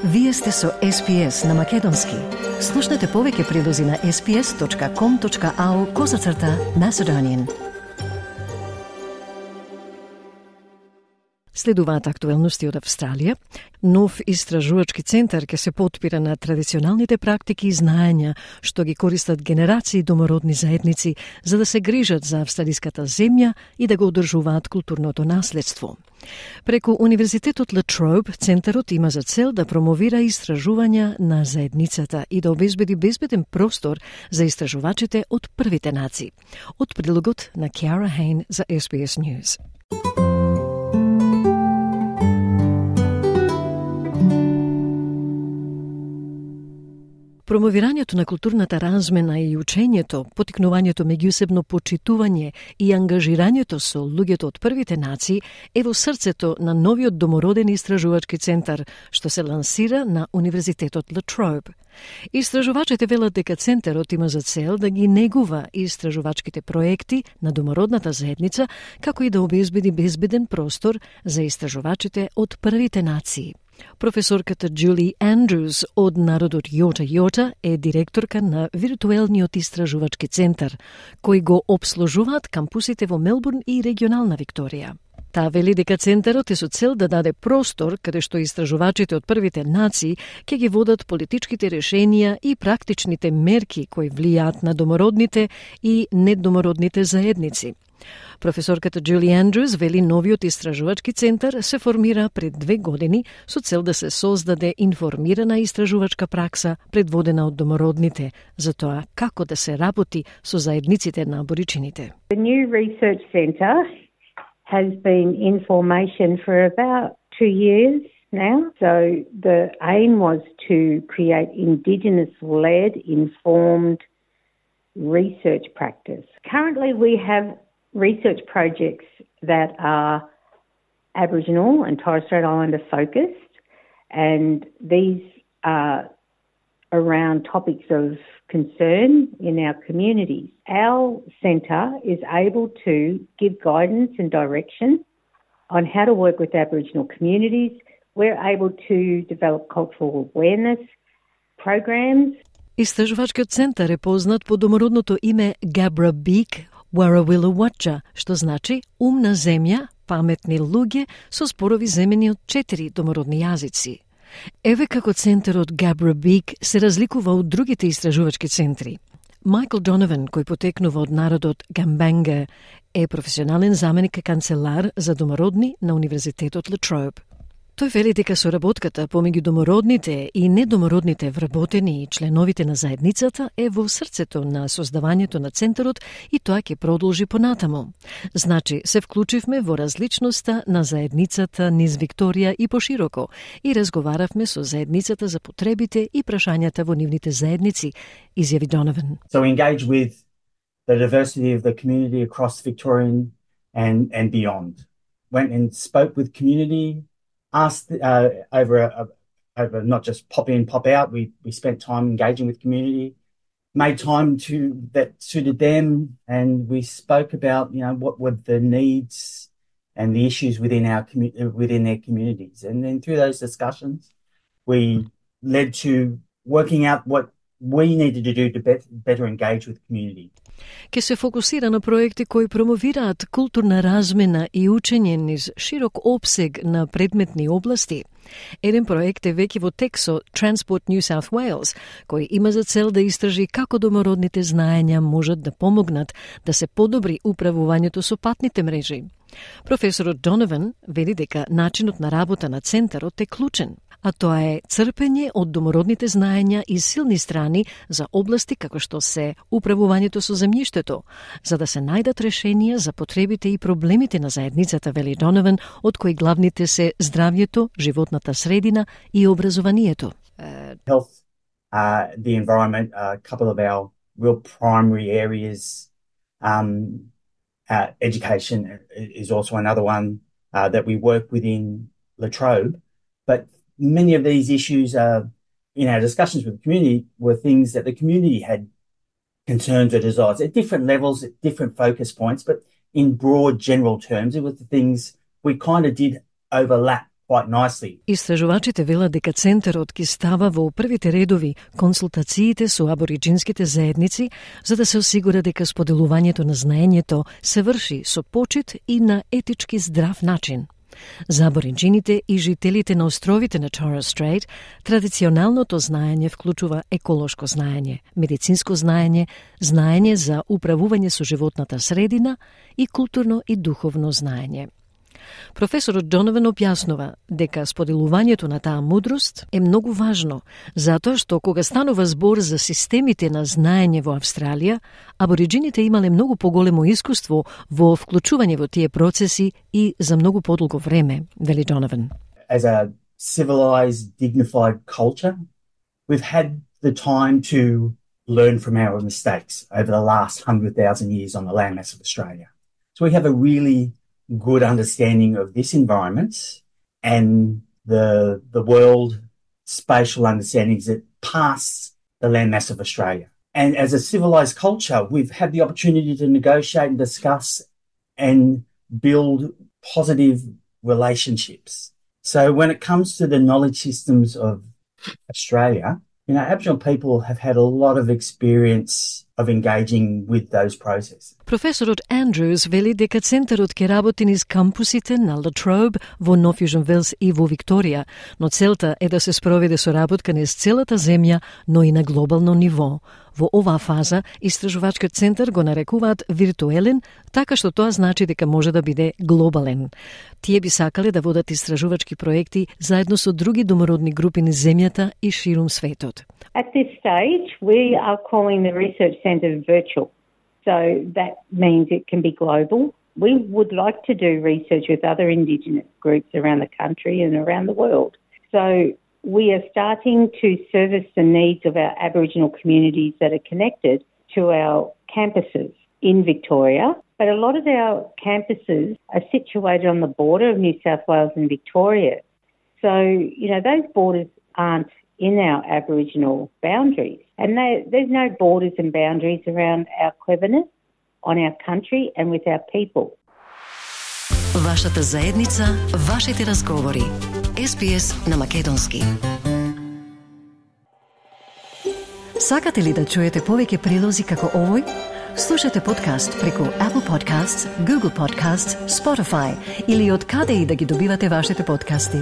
Вие сте со SPS на Македонски. Слушнете повеќе прилози на sps.com.au/Macedonian. Следуваат актуелности од Австралија. Нов истражувачки центар ќе се потпира на традиционалните практики и знаења што ги користат генерации домородни заедници за да се грижат за австралиската земја и да го одржуваат културното наследство. Преку Универзитетот La Trobe, центарот има за цел да промовира истражувања на заедницата и да обезбеди безбеден простор за истражувачите од првите нации. Од прилогот на Киара Хейн за SBS News. Промовирањето на културната размена и учењето, потикнувањето меѓусебно почитување и ангажирањето со луѓето од првите нации е во срцето на новиот домороден истражувачки центар што се лансира на Универзитетот La Trobe. Истражувачите велат дека центарот има за цел да ги негува истражувачките проекти на домородната заедница, како и да обезбеди безбеден простор за истражувачите од првите нации. Професорката Джули Андрюс од народот Јота е директорка на виртуелниот истражувачки центар, кој го обслужуваат кампусите во Мелбурн и регионална Викторија. Таа вели дека центарот е со цел да даде простор каде што истражувачите од првите нации ќе ги водат политичките решенија и практичните мерки кои влијаат на домородните и недомородните заедници. Професорката Джули Андрюс вели новиот истражувачки центар се формира пред 2 години со цел да се создаде информирана истражувачка пракса предводена од домородните за тоа како да се работи со заедниците на аборичините. The new research centre has been in formation for about 2 years now. So the aim was to create Indigenous-led, informed research practice. Currently we have research projects that are Aboriginal and Torres Strait Islander focused, and these are around topics of concern in our communities. Our centre is able to give guidance and direction on how to work with Aboriginal communities. We're able to develop cultural awareness programs. Истражувачкиот центар е познат по домородното име Gabra Beak Warrawilla Watcha, што значи умна земја, паметни луѓе со спорови земени од 4 домородни јазици. Еве како центарот Gabra Beak се разликува од другите истражувачки центри. Майкл Донован, кој потекнува од народот Гамбанга, е професионален заменик канцелар за домородни на Универзитетот La Trobe. Тој вели дека соработката помеѓу домородните и недомородните вработени и членовите на заедницата е во срцето на создавањето на центарот и тоа ќе продолжи понатаму. Значи, се вклучивме во различноста на заедницата низ Викторија и пошироко и разговаравме со заедницата за потребите и прашањата во нивните заедници, изјави Донован. So we engage with the diversity of the community across Victorian and beyond. Went and spoke with community, asked over not just pop in, pop out. We spent time engaging with community, made time that suited them, and we spoke about what were the needs and the issues within their communities. And then through those discussions, we led to working out what we needed to do to better engage with community. Ке се фокусира на проекти кои промовираат културна размена и учење низ широк опсег на предметни области. Еден проект е веќе во тек со Transport New South Wales, кој има за цел да истражи како домородните знаења можат да помогнат да се подобри управувањето со патните мрежи. Професорот Донован вели дека начинот на работа на центарот е клучен, а тоа е црпење од домородните знаења и силни страни за области како што се управувањето со земјиштето, за да се најдат решенија за потребите и проблемите на заедницата, вели Донован, од кои главните се здравјето, животната средина и образованието. Health, the environment, a couple of our real primary areas. Education is also another one that we work within La Trobe, but many of these issues in our discussions with the community were things that the community had concerns or desires at different levels, at different focus points, but in broad general terms, it was the things we kind of did overlap quite nicely. Истражувачите велат дека центарот ќе става во првите редови консултациите со абориџинските заедници за да се осигура дека споделувањето на знаењето се врши со почит и на етички здрав начин. За абориџините и жителите на островите на Torres Strait, традиционалното знаење вклучува еколошко знаење, медицинско знаење, знаење за управување со животната средина и културно и духовно знаење. Професорот Донован објаснува дека споделувањето на таа мудрост е многу важно, затоа што кога станува збор за системите на знаење во Австралија, абориџините имале многу поголемо искуство во вклучување во тие процеси и за многу подолго време, вели Донован. As a civilized, dignified culture, we've had the time to learn from our mistakes over the last 100,000 years on the landmass of Australia. So we have a really good understanding of this environment and the world spatial understandings that pass the landmass of Australia. And as a civilized culture, we've had the opportunity to negotiate and discuss and build positive relationships. So when it comes to the knowledge systems of Australia, Aboriginal people have had a lot of experience of engaging with those processes. Професорот Андрюс вели дека центарот ќе работи низ кампусите на Latrobe во Нов Јужен Велс и во Викторија, но целта е да се спроведе соработка низ целата земја, но и на глобално ниво. Во оваа фаза, истражувачкиот центар го нарекуваат виртуелен, така што тоа значи дека може да биде глобален. Тие би сакале да водат истражувачки проекти заедно со други домородни групи низ земјата и ширум светот. At this stage, we are calling the research centre virtual. So that means it can be global. We would like to do research with other Indigenous groups around the country and around the world. So we are starting to service the needs of our Aboriginal communities that are connected to our campuses in Victoria. But a lot of our campuses are situated on the border of New South Wales and Victoria. So, those borders aren't in our Aboriginal boundaries. And there's no borders and boundaries around our cleverness, on our country and with our people. Вашата заедница, вашите разговори. SBS на македонски. Сакате ли да чуете повеќе прилози како овој? Слушате подкаст преку Apple Podcasts, Google Podcasts, Spotify или од каде и да ги добивате вашите подкасти.